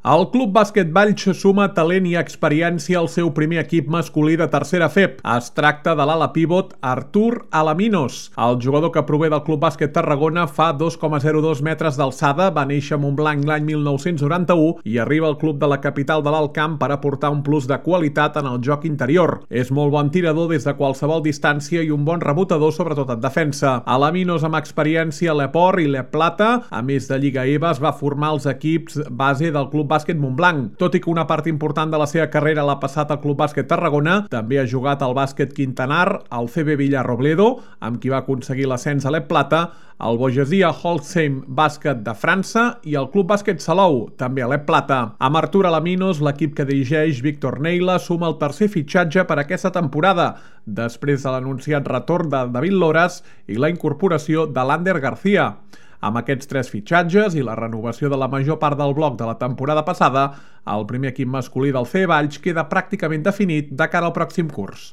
El Club Bàsquet Valls suma talent i experiència al seu primer equip masculí de tercera FEP. Es tracta de l'ala pivot Artur Alaminos. El jugador que prové del Club Bàsquet Tarragona fa 2,02 metres d'alçada, va néixer a Montblanc l'any 1991 i arriba al club de la capital de l'Alt Camp per aportar un plus de qualitat en el joc interior. És molt bon tirador des de qualsevol distància i un bon rebotador, sobretot en defensa. Alaminos, amb experiència a l'Eport i l'Eplata, a més de Lliga EVA, es va formar als equips base del Club Bàsquet Montblanc. Tot i que una part important de la seva carrera l'ha passat al Club Bàsquet Tarragona, també ha jugat al Bàsquet Quintanar, al CB Villarrobledo, amb qui va aconseguir l'ascens a l'Eplata, al Bogesia Holcim Bàsquet de França i al Club Bàsquet Salou, també a l'Eplata. Amb Artur Alaminos, l'equip que dirigeix Víctor Neila suma el tercer fitxatge per aquesta temporada, després de l'anunciat retorn de David Loras i la incorporació de l'Ander García. Amb aquests tres fitxatges i la renovació de la major part del bloc de la temporada passada, el primer equip masculí del CE Valls queda pràcticament definit de cara al pròxim curs.